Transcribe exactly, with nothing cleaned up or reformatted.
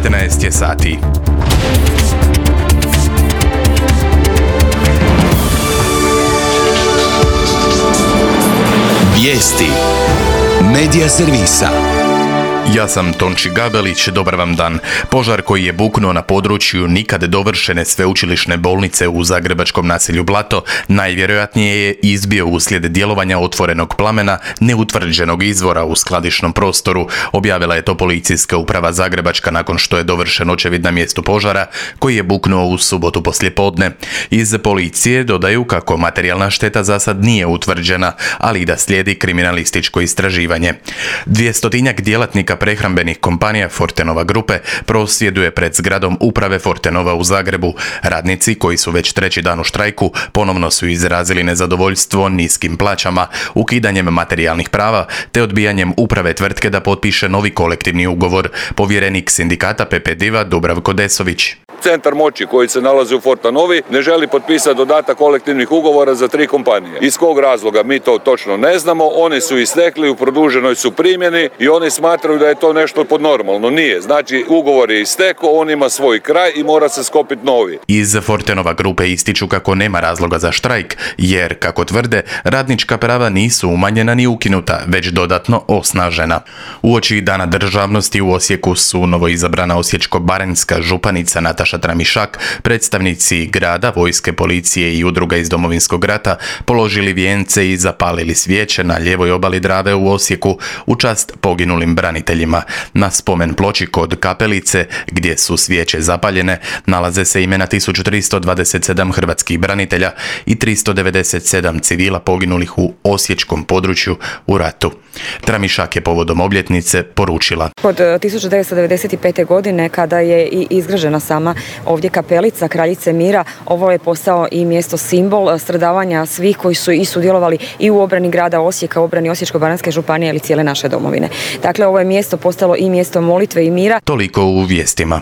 devetnaest je sati. Vijesti Medija servisa. Ja sam Tonči Gabelić, dobar vam dan. Požar koji je buknuo na području nikad dovršene sveučilišne bolnice u zagrebačkom naselju Blato najvjerojatnije je izbio uslijed djelovanja otvorenog plamena neutvrđenog izvora u skladišnom prostoru, objavila je to policijska uprava Zagrebačka nakon što je dovršen očevid na mjestu požara koji je buknuo u subotu poslijepodne. Iz policije dodaju kako materijalna šteta za sad nije utvrđena, ali i da slijedi kriminalističko istraživanje. Dvjestotinjak djelatnika prehrambenih kompanija Fortenova grupe prosvjeduje pred zgradom uprave Fortenova u Zagrebu. Radnici, koji su već treći dan u štrajku, ponovno su izrazili nezadovoljstvo niskim plaćama, ukidanjem materijalnih prava te odbijanjem uprave tvrtke da potpiše novi kolektivni ugovor. Povjerenik sindikata P P Diva Dubravko Desović. Centar moći koji se nalazi u Fortenovi ne želi potpisati dodatak kolektivnih ugovora za tri kompanije. Iz kog razloga mi to točno ne znamo, oni su istekli, u produženoj su primjeni i oni smatraju da je to nešto podnormalno. Nije. Znači, ugovor je istekao, on ima svoj kraj i mora se skopiti novi. Iz Fortenova grupe ističu kako nema razloga za štrajk, jer, kako tvrde, radnička prava nisu umanjena ni ukinuta, već dodatno osnažena. Uoči Dana državnosti u Osijeku su novoizabrana osječko-baranjska županica Nataša Tramišak, predstavnici grada, vojske, policije i udruga iz Domovinskog rata položili vijence i zapalili svijeće na lijevoj obali Drave u Osijeku u čast poginulim braniteljima. Na spomen ploči kod kapelice, gdje su svijeće zapaljene, nalaze se imena tisuću tristo dvadeset sedam hrvatskih branitelja i tristo devedeset sedam civila poginulih u osječkom području u ratu. Tramišak je povodom obljetnice poručila: Od tisuću devetsto devedeset pete. godine, kada je i izgrađena sama ovdje kapelica Kraljice mira, ovo je postao i mjesto simbol stradavanja svih koji su i sudjelovali i u obrani grada Osijeka, obrani Osječko-baranjske županije ili cijele naše domovine. Dakle, ovo je mjesto postalo i mjesto molitve i mira. Toliko u vijestima.